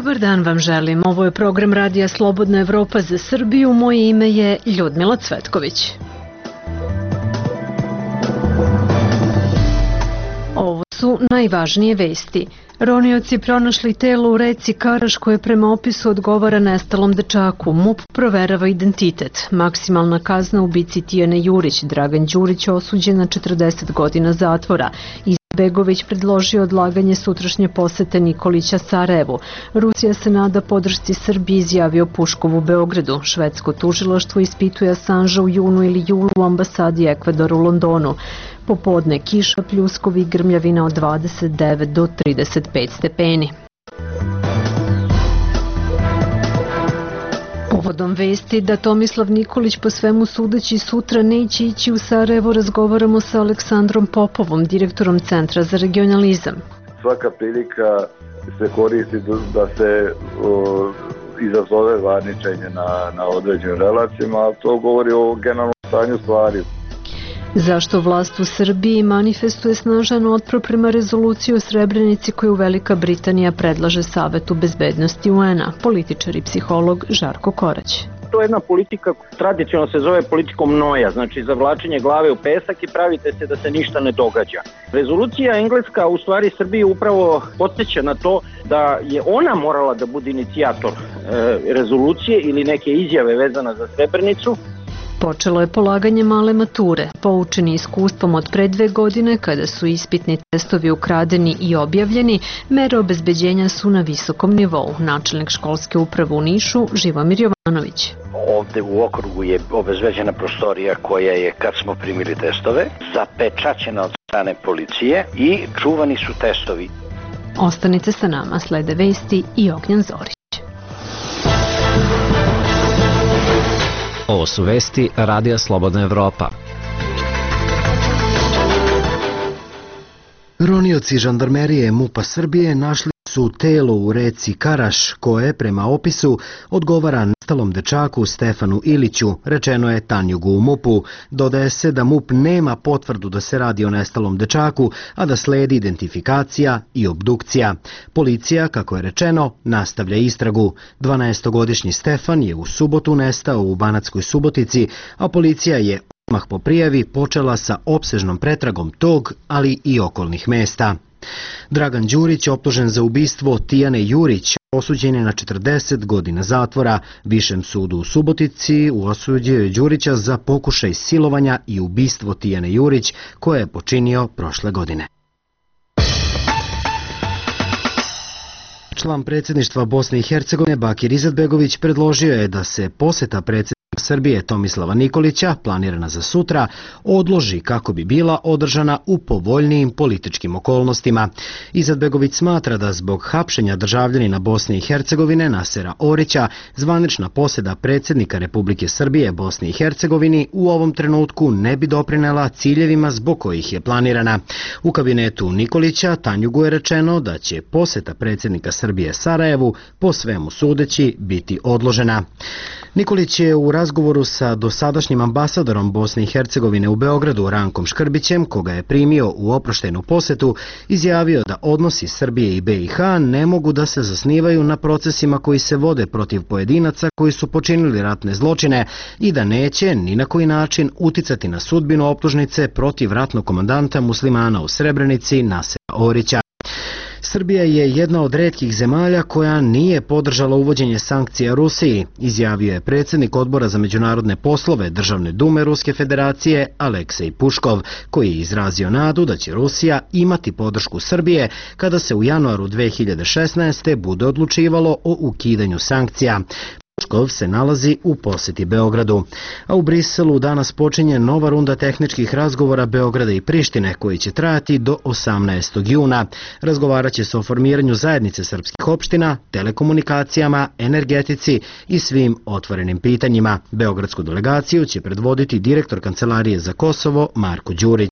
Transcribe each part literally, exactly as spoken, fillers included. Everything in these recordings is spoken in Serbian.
Dobar dan vam želim. Ovo je program Radija Slobodna Evropa za Srbiju. Moje ime je Ljudmila Cvetković. Ovo su najvažnije vesti. Ronioci pronašli telo u reci Karaš koje prema opisu odgovara nestalom dečaku. MUP proverava identitet. Maksimalna kazna ubici Tijane Jurić. Dragan Đurić osuđen na četrdeset godina zatvora. Begović predložio odlaganje sutrašnje posete Nikolića Sarajevu. Rusija se nada podršci Srbiji, izjavio Puškov u Beogradu. Švedsko tužilaštvo ispituje Assanža u junu ili julu u ambasadi Ekvadora u Londonu. Popodne kiša, pljuskovi i grmljavina od dvadeset devet do trideset pet stepeni. Povodom vesti da Tomislav Nikolić po svemu sudeći sutra neće ići u Sarajevo, razgovaramo sa Aleksandrom Popovom, direktorom Centra za regionalizam. Svaka prilika se koristi da se o, izazove varničenje na, na određenim relacijama, a to govori o generalnom stanju stvari. Zašto vlast u Srbiji manifestuje snažan otpor prema rezoluciji o Srebrenici koju Velika Britanija predlaže Savetu bezbednosti U N A? Političar i psiholog Žarko Korać. To je jedna politika, tradicionalno se zove politikom noja, znači zavlačenje glave u pesak i pravite se da se ništa ne događa. Rezolucija engleska u stvari Srbiji upravo podsjeća na to da je ona morala da bude inicijator e, rezolucije ili neke izjave vezana za Srebrenicu. Počelo je polaganje male mature. Poučeni iskustvom od pre dve godine, kada su ispitni testovi ukradeni i objavljeni, mere obezbeđenja su na visokom nivou. Načelnik školske uprave u Nišu, Živomir Jovanović. Ovde u okrugu je obezbeđena prostorija koja je, kad smo primili testove, zapečaćena od strane policije i čuvani su testovi. Ostanite sa nama, slede vesti i Ognjan Zorić. Ovo su vesti Radija Slobodna Evropa. Ronioci žandarmerije MUP-a Srbije našli su telo u reci Karaš koje, prema opisu, odgovara nestalom dečaku Stefanu Iliću, rečeno je Tanjugu u MUP-u. Dodaje se da MUP nema potvrdu da se radi o nestalom dečaku, a da sledi identifikacija i obdukcija. Policija, kako je rečeno, nastavlja istragu. dvanaestogodišnji Stefan je u subotu nestao u Banatskoj Subotici, a policija je odmah po prijavi počela sa opsežnom pretragom tog, ali i okolnih mesta. Dragan Đurić, optužen za ubistvo Tijane Jurić, osuđen je na četrdeset godina zatvora. Višem sudu u Subotici osudio je Đurića za pokušaj silovanja i ubistvo Tijane Jurić, koje je počinio prošle godine. Član predsjedništva Bosne i Hercegovine Bakir Izetbegović predložio je da se poseta predsjednika Srbije Tomislava Nikolića, planirana za sutra, odloži kako bi bila održana u povoljnijim političkim okolnostima. Izetbegović smatra da zbog hapšenja državljanina Bosne i Hercegovine Nasera Orića, zvanična posjeta predsjednika Republike Srbije Bosni i Hercegovini u ovom trenutku ne bi doprinela ciljevima zbog kojih je planirana. U kabinetu Nikolića Tanjugu je rečeno da će posjeta predsjednika Srbije Sarajevu po svemu sudeći biti odložena. Nikolić je u razgovoru sa dosadašnjim ambasadorom Bosne i Hercegovine u Beogradu Rankom Škrbićem, koga je primio u oproštenu posetu, izjavio da odnosi Srbije i B i H ne mogu da se zasnivaju na procesima koji se vode protiv pojedinaca koji su počinili ratne zločine i da neće ni na koji način uticati na sudbinu optužnice protiv ratnog komandanta muslimana u Srebrenici Nasera Orića. Srbija je jedna od retkih zemalja koja nije podržala uvođenje sankcija Rusiji, izjavio je predsjednik Odbora za međunarodne poslove Državne dume Ruske federacije Aleksej Puškov, koji je izrazio nadu da će Rusija imati podršku Srbije kada se u januaru dve hiljade šesnaeste. bude odlučivalo o ukidanju sankcija. Puškov se nalazi u posjeti Beogradu. A u Briselu danas počinje nova runda tehničkih razgovora Beograda i Prištine koji će trajati do osamnaestog juna. Razgovarat će se o formiranju zajednice srpskih opština, telekomunikacijama, energetici i svim otvorenim pitanjima. Beogradsku delegaciju će predvoditi direktor Kancelarije za Kosovo Marko Đurić.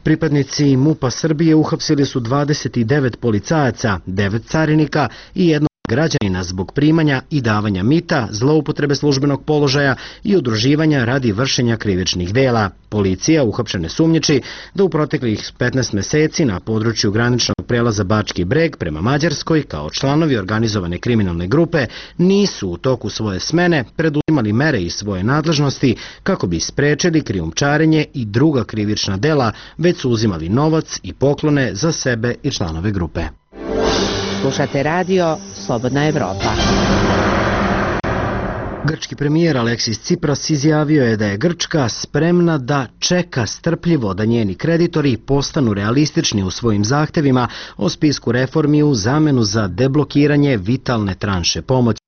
Pripadnici MUP-a Srbije uhapsili su dvadeset devet policajaca, devet carinika i jednog građanina zbog primanja i davanja mita, zloupotrebe službenog položaja i udruživanja radi vršenja krivičnih dela. Policija uhapšene sumnjiči da u proteklih petnaest meseci na području graničnog prelaza Bački Breg prema Mađarskoj kao članovi organizovane kriminalne grupe nisu u toku svoje smene preduzimali mere iz svoje nadležnosti kako bi sprečili krijumčarenje i druga krivična dela, već su uzimali novac i poklone za sebe i članove grupe. Slušate radio Slobodna Evropa. Grčki premijer Aleksis Tsipras izjavio je da je Grčka spremna da čeka strpljivo da njeni kreditori postanu realistični u svojim zahtevima o spisku reformi u zamenu za deblokiranje vitalne tranše pomoći.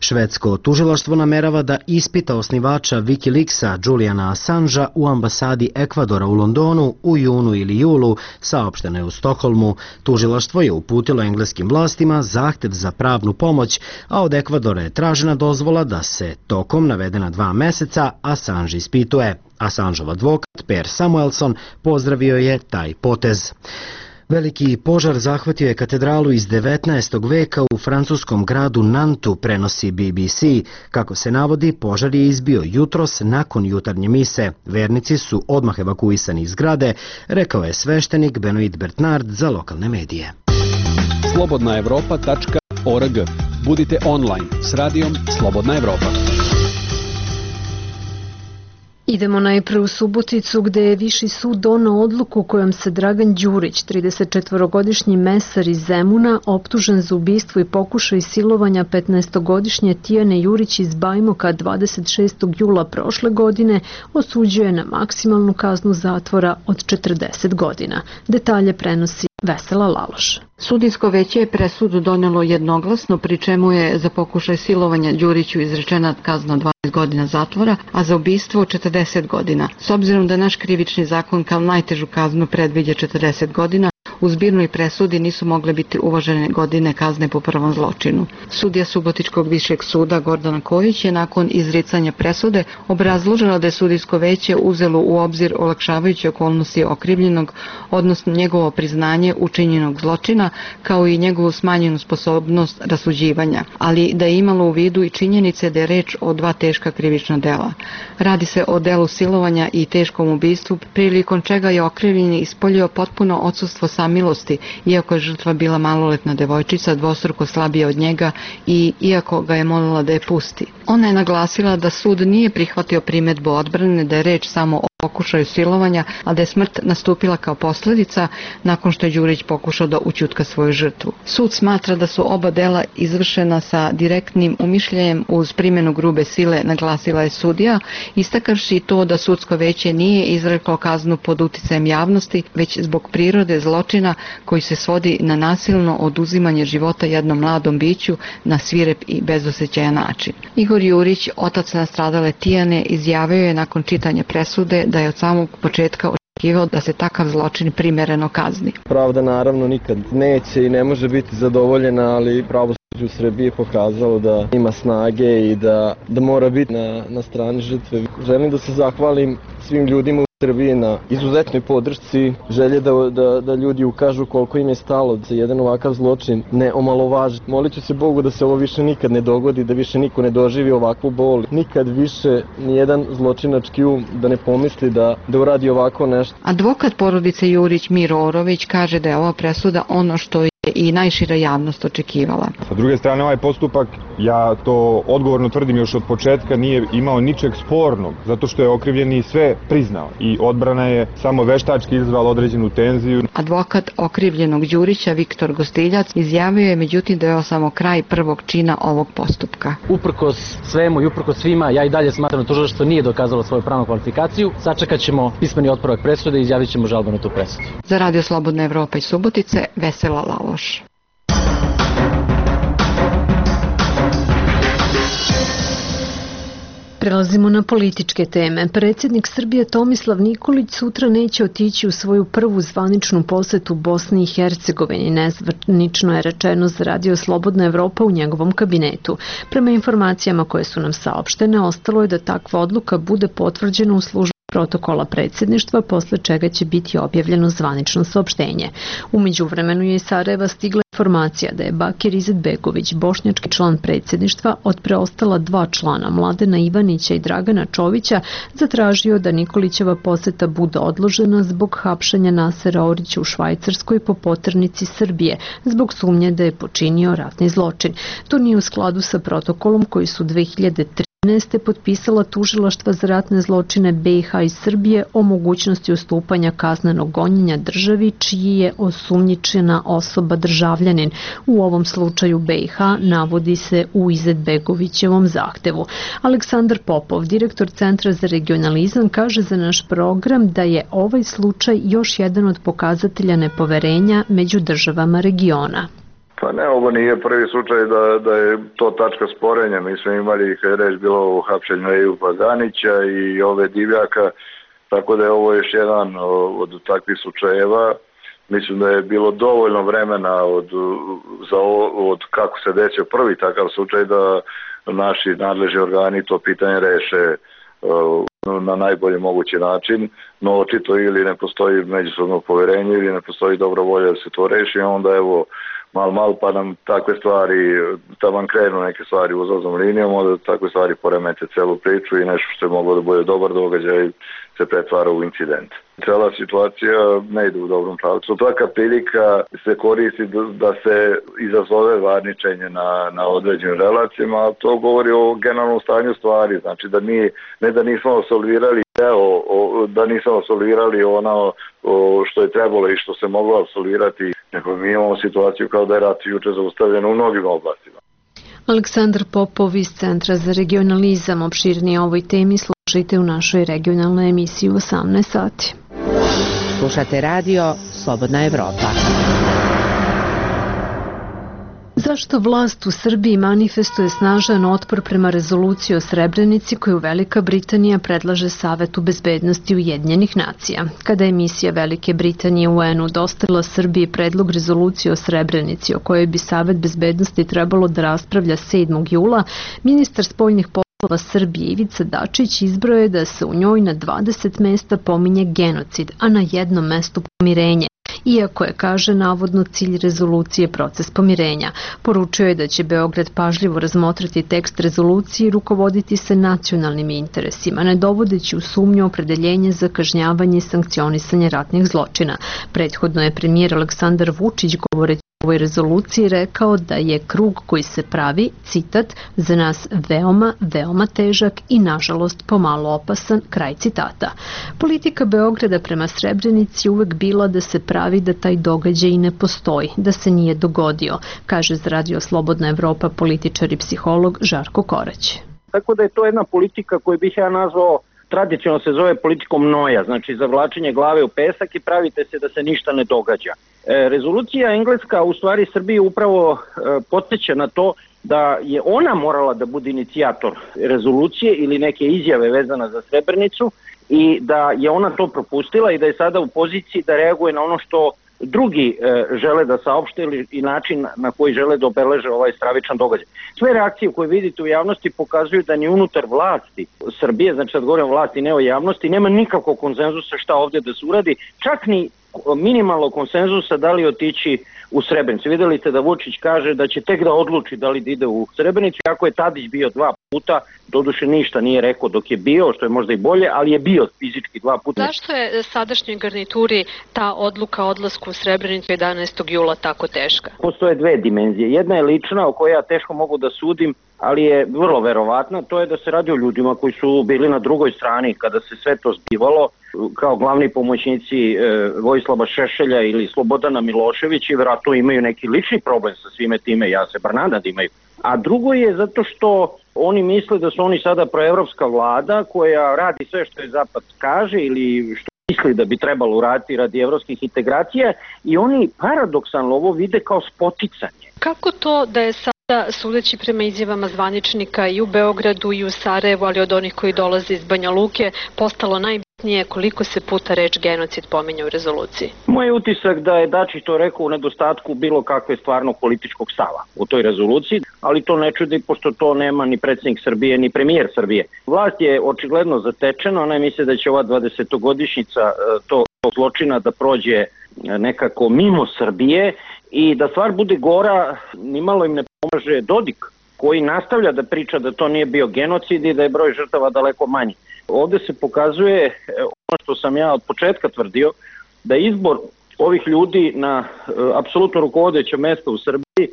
Švedsko tužilaštvo namerava da ispita osnivača Wikileaksa Juliana Assangea u ambasadi Ekvadora u Londonu u junu ili julu, saopšteno je u Stokholmu. Tužilaštvo je uputilo engleskim vlastima zahtev za pravnu pomoć, a od Ekvadora je tražena dozvola da se tokom navedena dva meseca Assange ispituje. Assangeov advokat Per Samuelson pozdravio je taj potez. Veliki požar zahvatio je katedralu iz devetnaestog veka u francuskom gradu Nantu, prenosi B B C. Kako se navodi, požar je izbio jutros nakon jutarnje mise. Vernici su odmah evakuisani iz zgrade, rekao je sveštenik Benoit Bernard za lokalne medije. slobodna evropa tačka org. Budite online s radijom Slobodna Evropa. Idemo najpre u Suboticu, gde je Viši sud doneo odluku kojom se Dragan Đurić, tridesetčetvorogodišnji mesar iz Zemuna, optužen za ubistvo i pokušaj silovanja petnaestogodišnje Tijane Jurić iz Bajmoka dvadeset šestog jula prošle godine, osuđuje na maksimalnu kaznu zatvora od četrdeset godina. Detalje prenosi Vesela Laloš. Sudijsko veće je presudu donelo jednoglasno, pri čemu je za pokušaj silovanja Đuriću izrečena kazna dvanaest godina zatvora, a za ubistvo četrdeset godina. S obzirom da naš krivični zakon kao najtežu kaznu predviđa četrdeset godina, u zbirnoj presudi nisu mogle biti uvažene godine kazne po prvom zločinu. Sudija Subotičkog višeg suda Gordana Kojić je nakon izricanja presude obrazložila da je sudijsko veće uzelo u obzir olakšavajuće okolnosti okrivljenog, odnosno njegovo priznanje učinjenog zločina, kao i njegovu smanjenu sposobnost rasuđivanja, ali da je imalo u vidu i činjenice da je reč o dva teška krivična dela. Radi se o delu silovanja i teškom ubistvu, prilikom čega je okrivljeni ispoljio potpuno odsustvo samilosti, iako je žrtva bila maloletna devojčica, dvostruko slabija od njega i iako ga je molila da je pusti. Ona je naglasila da sud nije prihvatio primedbu odbrane, da je reč samo o pokušaju silovanja, a da je smrt nastupila kao posljedica nakon što je Đurić pokušao da ućutka svoju žrtvu. Sud smatra da su oba dela izvršena sa direktnim umišljajem uz primjenu grube sile, naglasila je sudija, istakavši to da sudsko veće nije izreklo kaznu pod uticajem javnosti, već zbog prirode zločina koji se svodi na nasilno oduzimanje života jednom mladom biću na svirep i bezosećajan način. Igor Jurić, otac nastradale Tijane, izjavio je nakon čitanja presude da je od samog početka očekivao da se takav zločin primereno kazni. Pravda naravno nikad neće i ne može biti zadovoljena, ali pravosuđe u Srbiji je pokazalo da ima snage i da, da mora biti na, na strani žrtve. Želim da se zahvalim svim ljudima u Srbiji na izuzetnoj podršci, želje da, da, da ljudi ukažu koliko im je stalo da se jedan ovakav zločin ne omalovaži. Molit ću se Bogu da se ovo više nikad ne dogodi, da više niko ne doživi ovakvu bol. Nikad više nijedan zločinački um da ne pomisli da, da uradi ovako nešto. Advokat porodice Jurić Miro Orović kaže da je ova presuda ono što je i najšira javnost očekivala. Sa druge strane, ovaj postupak, ja to odgovorno tvrdim još od početka, nije imao ničeg spornog, zato što je okrivljeni sve priznao i odbrana je samo veštački izazvala određenu tenziju. Advokat okrivljenog Đurića Viktor Gostiljac izjavio je međutim da je ovo samo kraj prvog čina ovog postupka. Uprkos svemu i uprkos svima, ja i dalje smatram da tužilaštvo nije dokazalo svoju pravnu kvalifikaciju. Sačekat ćemo pismeni otporak presude i izjavit ćemo žalbu na tu presudu. Za Radio Slobodna Evropa i Subotice, Vesela Laloš. Prelazimo na političke teme. Predsjednik Srbije Tomislav Nikolić sutra neće otići u svoju prvu zvaničnu posetu Bosni i Hercegovini, nezvanično je rečeno za Radio Slobodna Evropa u njegovom kabinetu. Prema informacijama koje su nam saopštene, ostalo je da takva odluka bude potvrđena u službi protokola predsjedništva, posle čega će biti objavljeno zvanično saopštenje. U međuvremenu je iz Sarajeva stigla informacija da je Bakir Izetbegović, bošnjački član predsjedništva, od preostala dva člana, Mladena Ivanića i Dragana Čovića, zatražio da Nikolićeva poseta bude odložena zbog hapšenja Nasera Orića u Švajcarskoj po poternici Srbije, zbog sumnje da je počinio ratni zločin. To nije u skladu sa protokolom koji su dve hiljade trinaeste. potpisala tužilaštva za ratne zločine B i H i Srbije o mogućnosti ustupanja kaznenog gonjenja državi čiji je osumnjičena osoba državljanin. U ovom slučaju B i H navodi se u Izetbegovićevom zahtevu. Aleksandar Popov, direktor Centra za regionalizam, kaže za naš program da je ovaj slučaj još jedan od pokazatelja nepoverenja među državama regiona. Pa ne, ovo nije prvi slučaj da, da je to tačka sporenja. Mi smo imali, kad je reč bilo o hapšenju Ejupa Ganića i ove Divljaka, tako da je ovo još jedan od takvih slučajeva. Mislim da je bilo dovoljno vremena od, za ovo, od kako se desio prvi takav slučaj da naši nadležni organi to pitanje reše na najbolji mogući način, no očito ili ne postoji međusobno poverenje ili ne postoji dobra volja da se to reši, onda evo mal mal pa nam takve stvari, tamo krenu neke stvari uzlaznom linijom, onda takve stvari poremete celu priču i nešto što je moglo da bude dobar događaj se pretvara u incident. Cela situacija ne ide u dobrom pravcu. Svaka prilika se koristi da se izazove varničenje na, na određenim relacijama, a to govori o generalnom stanju stvari. Znači da nije, ne da nismo absolvirali deo, da nismo absolvirali ono što je trebalo i što se moglo absolvirati, nego mi imamo situaciju kao da je rat juče zaustavljen u mnogim oblastima. Aleksandar Popov iz Centra za regionalizam. Opširnije o ovoj temi slušajte u našoj regionalnoj emisiji u osamnaest sati. Slušate radio Slobodna Evropa. Zašto vlast u Srbiji manifestuje snažan otpor prema rezoluciji o Srebrenici koju Velika Britanija predlaže Savetu bezbednosti Ujedinjenih nacija? Kada je misija Velike Britanije u U N-u dostavila Srbiji predlog rezolucije o Srebrenici o kojoj bi Savet bezbednosti trebalo da raspravlja sedmog jula, ministar spoljnih poslova Srbije Ivica Dačić izbroje da se u njoj na dvadeset mesta pominje genocid, a na jednom mestu pomirenje. Iako je, kaže, navodno cilj rezolucije proces pomirenja. Poručio je da će Beograd pažljivo razmotriti tekst rezolucije i rukovoditi se nacionalnim interesima, ne dovodeći u sumnju opredeljenje za kažnjavanje i sankcionisanje ratnih zločina. Prethodno je premijer Aleksandar Vučić, govoreći o ovoj rezoluciji, rekao da je krug koji se pravi, citat, za nas veoma, veoma težak i nažalost pomalo opasan, kraj citata. Politika Beograda prema Srebrenici uvek bila da se pravi da taj događaj ne postoji, da se nije dogodio, kaže za Radio Slobodna Evropa političar i psiholog Žarko Korać. Tako da je to jedna politika koju bih ja nazvao, tradicionalno se zove politikom noja, znači zavlačenje glave u pesak i pravite se da se ništa ne događa. E, rezolucija engleska u stvari Srbiji upravo e, podsjeća na to da je ona morala da bude inicijator rezolucije ili neke izjave vezana za Srebrenicu i da je ona to propustila i da je sada u poziciji da reaguje na ono što drugi e, žele da saopšte ili i način na koji žele da obeleže ovaj stravičan događaj. Sve reakcije koje vidite u javnosti pokazuju da ni unutar vlasti Srbije, znači sad govorim o vlasti, ne o javnosti, nema nikakvog konsenzusa šta ovdje da se uradi, čak ni minimalno konsenzusa da li otići u Srebrenicu. Videli ste da Vučić kaže da će tek da odluči da li da ide u Srebrenicu, ako je Tadić bio dva puta, doduše ništa nije rekao dok je bio, što je možda i bolje, ali je bio fizički dva puta. Zašto je sadašnjoj garnituri ta odluka o odlasku u Srebrenicu jedanaestog jula tako teška? Postoje dve dimenzije. Jedna je lična, o kojoj ja teško mogu da sudim, ali je vrlo verovatna, to je da se radi o ljudima koji su bili na drugoj strani kada se sve to zbivalo, kao glavni pomoćnici e, Vojislava Šešelja ili Slobodana Miloševića i vjerojatno imaju neki lični problem sa svime time, ja se bar nadam da imaju. A drugo je zato što oni misle da su oni sada proevropska vlada koja radi sve što je Zapad kaže ili što misli da bi trebalo uraditi radi evropskih integracija i oni paradoksalno ovo vide kao spoticanje. Kako to da je sada, sudeći prema izjavama zvaničnika i u Beogradu i u Sarajevu, ali od onih koji dolaze iz Banja Luke, postalo najbitnije koliko se puta reč genocid pominje u rezoluciji? Moj utisak da je Dačić to rekao u nedostatku bilo kakve stvarno političkog stava u toj rezoluciji. ali to ne čudi pošto to nema ni predsjednik Srbije ni premijer Srbije. Vlast je očigledno zatečena, ona misle da će ova dvadesetogodišnjica to zločina da prođe nekako mimo Srbije i da stvar bude gora, nimalo im ne pomaže Dodik, koji nastavlja da priča da to nije bio genocid i da je broj žrtava daleko manji. Ovde se pokazuje ono što sam ja od početka tvrdio, da izbor ovih ljudi na e, apsolutno rukovodeće mesto u Srbiji e,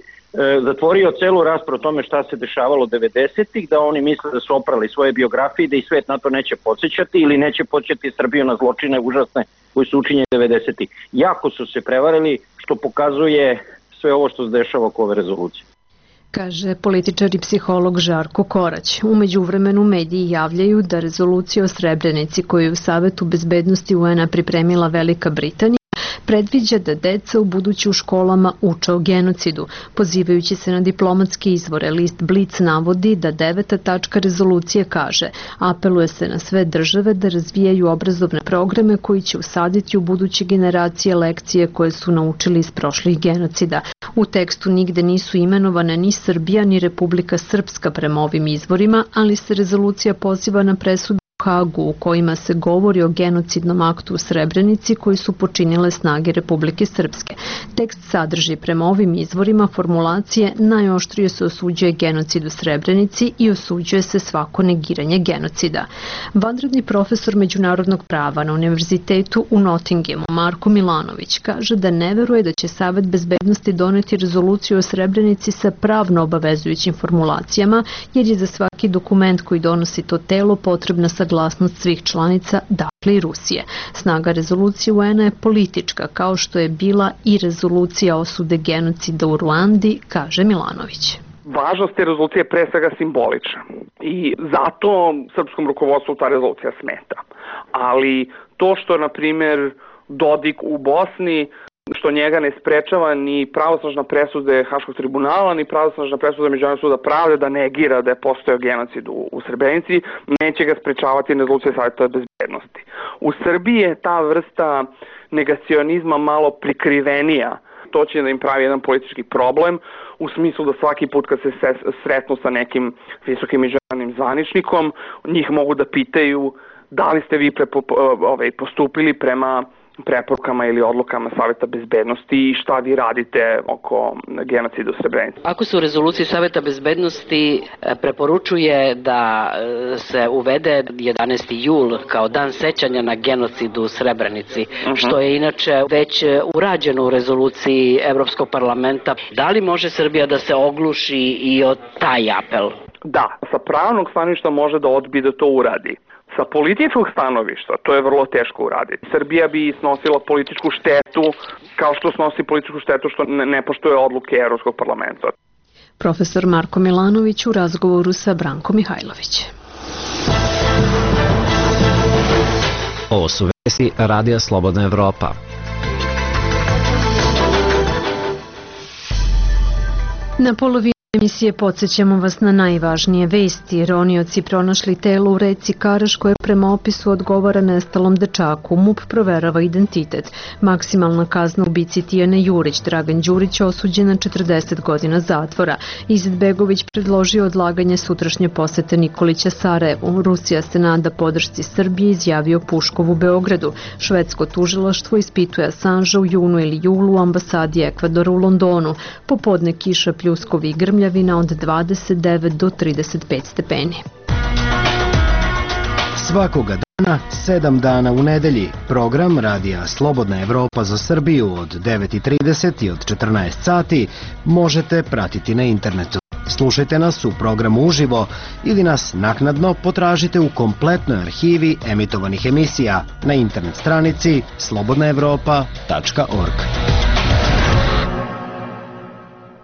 zatvorio celu raspravu o tome šta se dešavalo devedesetih, da oni misle da su oprali svoje biografije, da i svet na to neće podsjećati ili neće podsjećati Srbiju na zločine užasne koji su učinjeni devedesetih. Jako su se prevarili, što pokazuje sve ovo što se dešava oko ove rezolucije. Kaže političar i psiholog Žarko Korać. U međuvremenu mediji javljaju da rezolucija o Srebrenici koju je u Savetu bezbednosti U N-a pripremila Velika Britanija predviđa da deca u budući u školama uče o genocidu. Pozivajući se na diplomatske izvore, list Blic navodi da deveta tačka rezolucije kaže: apeluje se na sve države da razvijaju obrazovne programe koji će usaditi u buduće generacije lekcije koje su naučili iz prošlih genocida. U tekstu nigde nisu imenovane ni Srbija ni Republika Srpska prema ovim izvorima, ali se rezolucija poziva na presudu u Hagu u kojima se govori o genocidnom aktu u Srebrenici koji su počinile snage Republike Srpske. Tekst sadrži prema ovim izvorima formulacije: najoštrije se osuđuje genocid u Srebrenici i osuđuje se svako negiranje genocida. Vanredni profesor međunarodnog prava na Univerzitetu u Nottinghamu Marko Milanović kaže da ne veruje da će Savet bezbednosti doneti rezoluciju o Srebrenici sa pravno obavezujućim formulacijama, jer je za svaki dokument koji donosi to telo potrebna saglasnost svih članica, dakle i Rusije. Snaga rezolucije U N-a je politička, kao što je bila i rezolucija osude genocida u Ruandi, kaže Milanović. Važnost te rezolucije je pre svega simbolična i zato srpskom rukovodstvu ta rezolucija smeta. Ali to što, na primjer, Dodik u Bosni, što njega ne sprečava ni pravosnažna presude Haškog tribunala, ni pravosnažna presuda Međunarodnog suda pravde da negira da je postojao genocid u, u Srebrenici, neće ga sprečavati rezolucija Saveta bezbednosti. U Srbiji je ta vrsta negacionizma malo prikrivenija. To će da im pravi jedan politički problem, u smislu da svaki put kad se sretnu sa nekim visokim međunarodnim zvaničnikom, njih mogu da pitaju da li ste vi prepo, ovaj, postupili prema preporukama ili odlukama Saveta bezbednosti i šta vi radite oko genocida u Srebrenici. Ako se u rezoluciji Saveta bezbednosti preporučuje da se uvede jedanaesti jul kao dan sećanja na genocid u Srebrenici, uh-huh. što je inače već urađeno u rezoluciji Evropskog parlamenta, da li može Srbija da se ogluši i od taj apel? Da, sa pravnog stanovišta može da odbije da to uradi. Sa političkog stanovišta to je vrlo teško uraditi. Srbija bi snosila političku štetu kao što snosi političku štetu što ne poštuje odluke Evropskog parlamenta. Profesor Marko Milanović u razgovoru sa Brankom Mihajlović. Ovo su vesti Radija Slobodna Evropa. Na polovini emisije podsjećamo vas na najvažnije vesti. Ronioci pronašli telo u reci Karaš koje prema opisu odgovara nestalom dečaku. MUP proverava identitet. Maksimalna kazna ubici Tijane Jurić. Dragan Đurić osuđen na četrdeset godina zatvora. Izetbegović predložio odlaganje sutrašnje posete Nikolića Sarajevu. Rusija se nada podršci Srbije, izjavio Puškov u Beogradu. Švedsko tužilaštvo ispituje Assange u junu ili julu u ambasadi Ekvadora u Londonu. Popodne kiša, pljuskovi i grmlja od dvadeset devet do trideset pet stepeni. Svakoga dana, sedam dana u nedelji. Program Radija Slobodna Evropa za Srbiju od devet i trideset i od četrnaest sati možete pratiti na internetu. Slušajte nas u programu uživo ili nas naknadno potražite u kompletnoj arhivi emitovanih emisija na internet stranici slobodna evropa tačka org.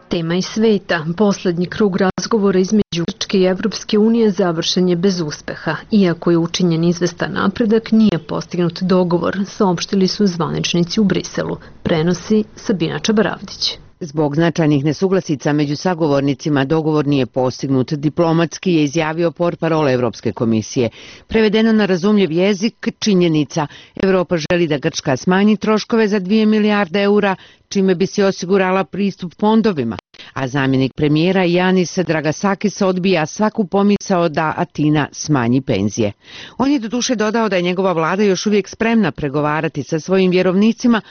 Tema iz sveta. Poslednji krug razgovora između Grčke i Evropske unije završen je bez uspeha. Iako je učinjen izvestan napredak, nije postignut dogovor, saopštili su zvaničnici u Briselu. Prenosi Sabina Čabaravdić. Zbog značajnih nesuglasica među sagovornicima dogovor nije postignut, diplomatski je izjavio portparol Evropske komisije. Prevedeno na razumljiv jezik, činjenica, Evropa želi da Grčka smanji troškove za dvije milijarde eura, čime bi se osigurala pristup fondovima, a zamjenik premijera Janis Dragasakis odbija svaku pomisao da Atina smanji penzije. On je doduše dodao da je njegova vlada još uvijek spremna pregovarati sa svojim vjerovnicima,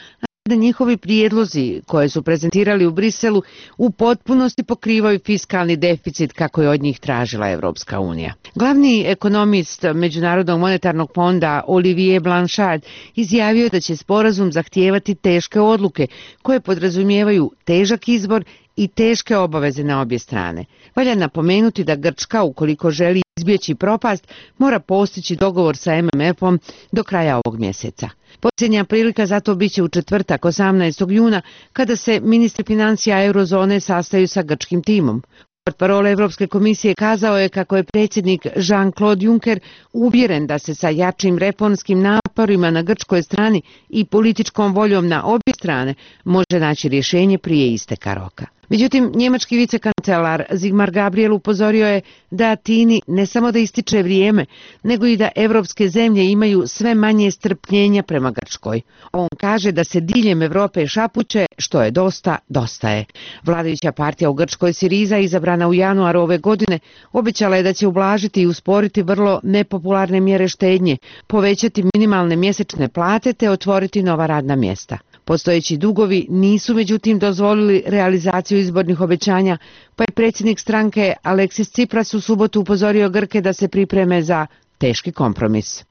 da njihovi prijedlozi koje su prezentirali u Briselu u potpunosti pokrivaju fiskalni deficit kako je od njih tražila Evropska unija. Glavni ekonomist Međunarodnog monetarnog fonda Olivier Blanchard izjavio da će sporazum zahtijevati teške odluke koje podrazumijevaju težak izbor i teške obaveze na obje strane. Valja napomenuti da Grčka, ukoliko želi izbjeći propast, mora postići dogovor sa em em efom do kraja ovog mjeseca. Posljednja prilika za to biće u četvrtak osamnaestog juna kada se ministri financija eurozone sastaju sa grčkim timom. Portparol Evropske komisije kazao je kako je predsjednik Jean-Claude Juncker uvjeren da se sa jačim reformskim naporima na grčkoj strani i političkom voljom na obje strane može naći rješenje prije isteka roka. Međutim, njemački vicekancelar Sigmar Gabriel upozorio je da Atini ne samo da ističe vrijeme, nego i da evropske zemlje imaju sve manje strpljenja prema Grčkoj. On kaže da se diljem Evrope šapuće što je dosta, dosta je. Vladajuća partija u Grčkoj Siriza, izabrana u januaru ove godine, obećala je da će ublažiti i usporiti vrlo nepopularne mjere štednje, povećati minimalne mjesečne plate te otvoriti nova radna mjesta. Postojeći dugovi nisu međutim dozvolili realizaciju izbornih obećanja, pa je predsjednik stranke Aleksis Tsipras u subotu upozorio Grke da se pripreme za teški kompromis.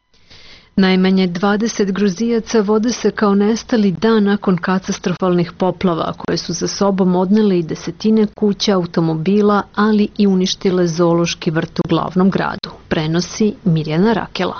Najmanje dvadeset Gruzijaca vode se kao nestali dan nakon katastrofalnih poplava koje su za sobom odnele i desetine kuća, automobila, ali i uništile zoološki vrt u glavnom gradu. Prenosi Mirjana Rakela.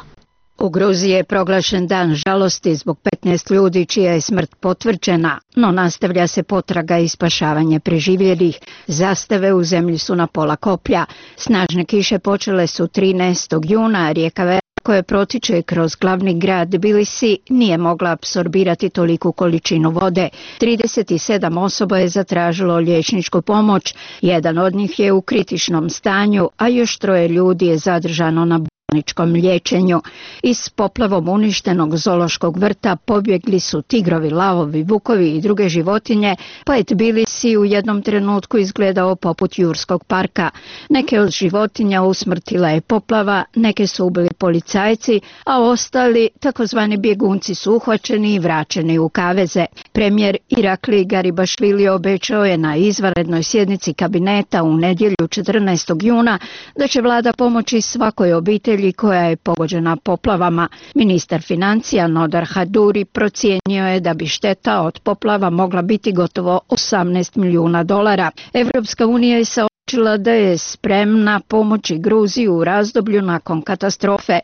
U Gruziji je proglašen dan žalosti zbog petnaest ljudi čija je smrt potvrđena, no nastavlja se potraga i spašavanje preživjelih. Zastave u zemlji su na pola koplja. Snažne kiše počele su trinaestog juna, a rijeka Vera koja protiče kroz glavni grad Tbilisi nije mogla apsorbirati toliku količinu vode. trideset sedam osoba je zatražilo liječničku pomoć, jedan od njih je u kritičnom stanju, a još troje ljudi je zadržano na bolničkom liječenju. Iz poplavom uništenog zoološkog vrta pobjegli su tigrovi, lavovi, vukovi i druge životinje, pa je Tbilisi u jednom trenutku izgledao poput jurskog parka. Neke od životinja usmrtila je poplava, neke su ubili policajci, a ostali, takozvani bjegunci, su uhvaćeni i vraćeni u kaveze. Premijer Irakli Garibašvili obećao je na izvanrednoj sjednici kabineta u nedjelju četrnaestog juna da će vlada pomoći svakoj obitelji koja je pogođena poplavama. Ministar financija Nodar Haduri procijenio je da bi šteta od poplava mogla biti gotovo osamnaest milijuna dolara. Evropska unija je saopćila da je spremna pomoći Gruziji u razdoblju nakon katastrofe.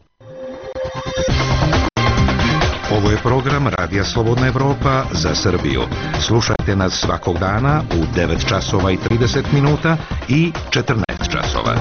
Ovo je program Radija Slobodna Evropa za Srbiju. Slušajte nas svakog dana u devet časova i trideset minuta i četrnaest časova.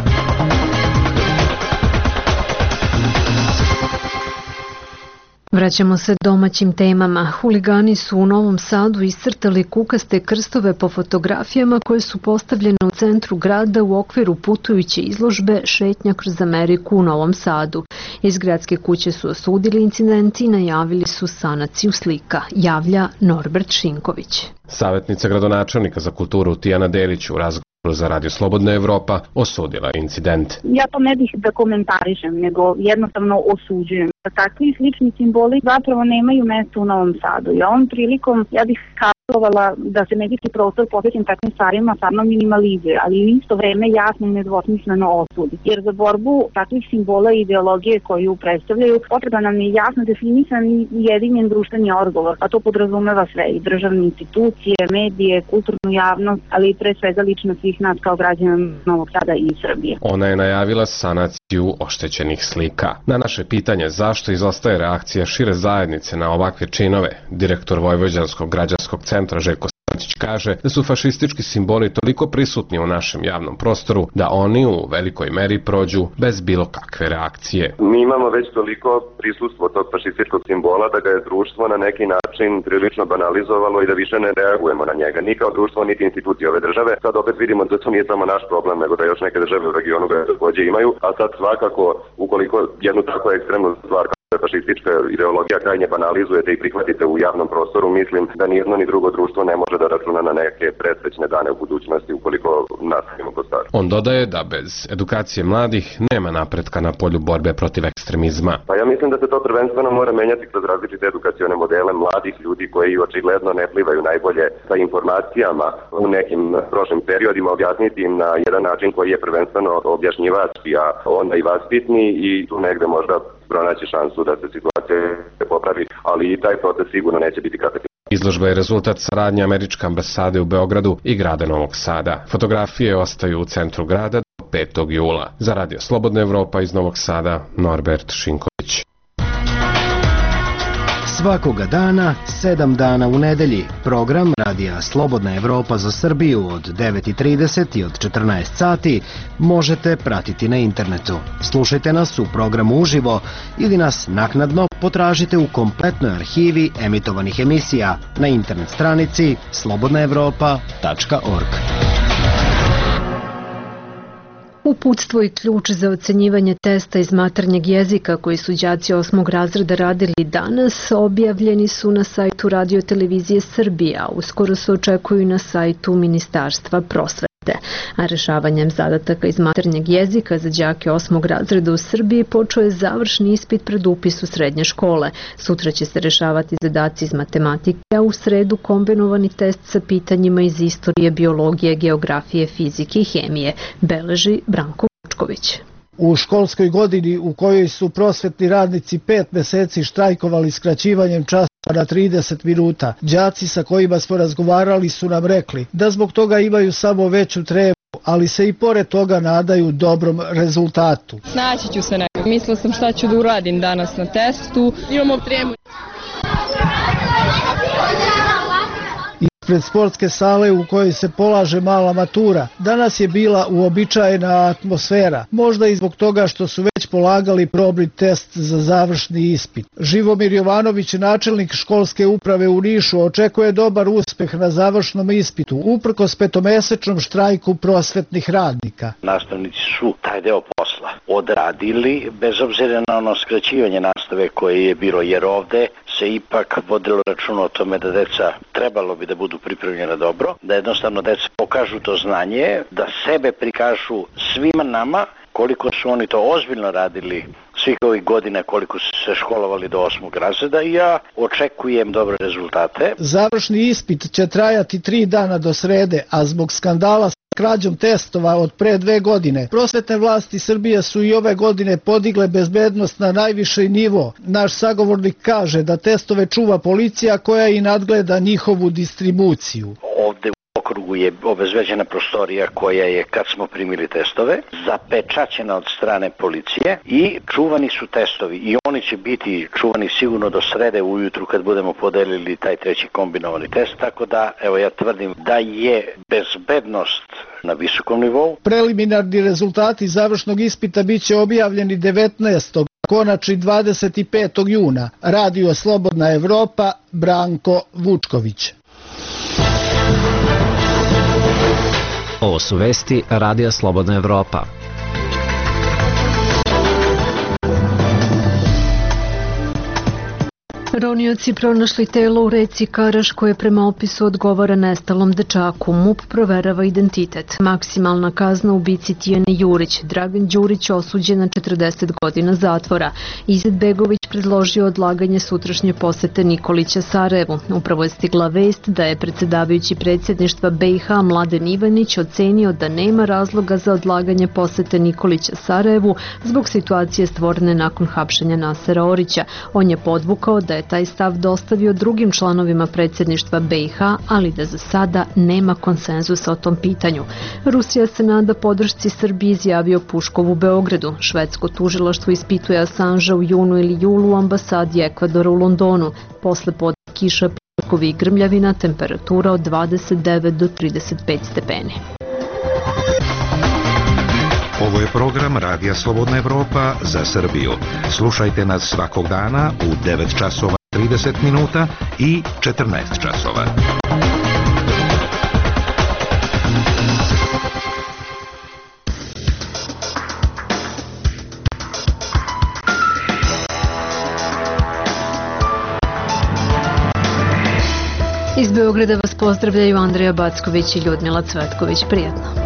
Vraćamo se domaćim temama. Huligani su u Novom Sadu iscrtali kukaste krstove po fotografijama koje su postavljene u centru grada u okviru putujuće izložbe Šetnja kroz Ameriku u Novom Sadu. Iz gradske kuće su osudili incident i najavili su sanaciju slika, javlja Norbert Šinković. Savjetnica gradonačelnika za kulturu Tijana Delić u razgovoru za Radio Slobodna Evropa osudila incident. Ja to ne bih da komentarišem, nego jednostavno osuđujem. Takvi slični simboli zapravo nemaju mjesto u Novom Sadu. I ovom prilikom ja bih apelovala da se medijski prostor posvećen takvim stvarima stvarno minimalizuje, ali u isto vreme jasno i nedvosmisleno osudi. Jer za borbu takvih simbola i ideologije koju predstavljaju potreban nam je jasno definisan i jedinjen društveni odgovor, a to podrazumeva sve i državne institucije, medije, kulturnu javnost, ali i pre svega lično svih nas kao građana Novog Sada i Srbije. Ona je najavila sanaciju oštećenih slika. Na naše pitanje zašto izostaje reakcija šire zajednice na ovakve činove, direktor Vojvođanskog građanskog centra Željko Pančić kaže da su fašistički simboli toliko prisutni u našem javnom prostoru da oni u velikoj meri prođu bez bilo kakve reakcije. Mi imamo već toliko prisustvo tog fašističkog simbola da ga je društvo na neki način prilično banalizovalo i da više ne reagujemo na njega. Ni kao društvo, niti institucije ove države. Sad opet vidimo da to nije samo naš problem, nego da još neke države u regionu ga takođe imaju, a sad svakako, ukoliko jednu tako ekstremnu stvar fašistička ideologija krajnje banalizujete i prihvatite u javnom prostoru, mislim da ni jedno ni drugo društvo ne može da računa na neke presrećne dane u budućnosti ukoliko nastavimo po staru. On dodaje da bez edukacije mladih nema napretka na polju borbe protiv ekstremizma. Pa ja mislim da se to prvenstveno mora menjati kroz različite edukacione modele mladih ljudi koji očigledno ne plivaju najbolje sa informacijama u nekim prošlim periodima, objasniti im na jedan način koji je prvenstveno objašnjivački, a onda i vaspitni i tu negde možda pronaći šansu da se situacija popravi, ali i taj proces sigurno neće biti katastrofalno. Izložba je rezultat saradnje Američke ambasade u Beogradu i grada Novog Sada. Fotografije ostaju u centru grada do petog jula. Za Radio Slobodna Evropa iz Novog Sada, Norbert Šinković. Svakoga dana, sedam dana u nedelji, program Radija Slobodna Evropa za Srbiju od devet i trideset i od četrnaest sati možete pratiti na internetu. Slušajte nas u programu uživo ili nas naknadno potražite u kompletnoj arhivi emitovanih emisija na internet stranici slobodna evropa tačka org. Uputstvo i ključ za ocenjivanje testa iz maternjeg jezika koji su đaci osmog razreda radili danas objavljeni su na sajtu Radio Televizije Srbije, a uskoro se očekuju na sajtu Ministarstva prosvete. A rešavanjem zadataka iz maternjeg jezika za đake osmog razreda u Srbiji počeo je završni ispit pred upis u srednje škole. Sutra će se rešavati zadaci iz matematike, a u sredu kombinovani test sa pitanjima iz istorije, biologije, geografije, fizike i hemije, beleži Branko Vučković. U školskoj godini u kojoj su prosvetni radnici pet meseci štrajkovali skraćivanjem časa na trideset minuta, đaci sa kojima smo razgovarali su nam rekli da zbog toga imaju samo veću trebu, ali se i pored toga nadaju dobrom rezultatu. Snaći ću se nekako. Mislila sam šta ću da uradim danas na testu. Imamo tremu. Ispred sportske sale u kojoj se polaže mala matura, danas je bila uobičajena atmosfera, možda i zbog toga što su već polagali probni test za završni ispit. Živomir Jovanović, načelnik školske uprave u Nišu, očekuje dobar uspeh na završnom ispitu, uprkos petomesečnom štrajku prosvetnih radnika. Nastavnici su taj deo posla odradili, bez obzira na ono skraćivanje nastave koje je bilo, jer ovde se ipak vodilo računa o tome da deca trebalo bi da budu pripremljena dobro, da jednostavno deca pokažu to znanje, da sebe prikažu svima nama, koliko su oni to ozbiljno radili svih ovih godina, koliko su se školovali do osmog razreda i ja očekujem dobre rezultate. Završni ispit će trajati tri dana do srede, a zbog skandala sa krađom testova od pre dve godine, prosvetne vlasti Srbije su i ove godine podigle bezbednost na najviši nivo. Naš sagovornik kaže da testove čuva policija koja i nadgleda njihovu distribuciju. Ovde u okrugu je obezbeđena prostorija koja je, kad smo primili testove, zapečaćena od strane policije i čuvani su testovi i oni će biti čuvani sigurno do srede ujutru kad budemo podelili taj treći kombinovani test, tako da evo ja tvrdim da je bezbednost na visokom nivou. Preliminarni rezultati završnog ispita biće objavljeni devetnaestog konačni dvadeset petog juna. Radio Slobodna Evropa, Branko Vučković. Ovo su vesti Radija Slobodna Evropa. Ronioci pronašli telo u reci Karaš koje prema opisu odgovara nestalom dečaku. MUP proverava identitet. Maksimalna kazna ubici Tijane Jurić. Dragan Đurić osuđen na četrdeset godina zatvora. Izetbegović predložio odlaganje sutrašnje posete Nikolića Sarajevu. Upravo je stigla vest da je predsjedavajući predsjedništva B i H Mladen Ivanić ocenio da nema razloga za odlaganje posete Nikolića Sarajevu zbog situacije stvorene nakon hapšenja Nasera Orića. On je podvukao da je taj stav dostavio drugim članovima predsjedništva B i H, ali da za sada nema konsenzusa o tom pitanju. Rusija se nada podršci Srbiji, izjavio Puškov u Beogradu. Švedsko tužilaštvo ispituje Assange u junu ili julu u ambasadi Ekvadora u Londonu. Posle pod kiša oblakovi i grmljavina, temperatura od dvadeset devet do trideset pet stepeni. Ovo je program Radija Slobodna Evropa za Srbiju. Slušajte nas svakog dana u devet časova i trideset minuta i četrnaest časova. Iz Beograda vas pozdravljaju Andreja Backović i Ljudmila Cvetković. Prijetno.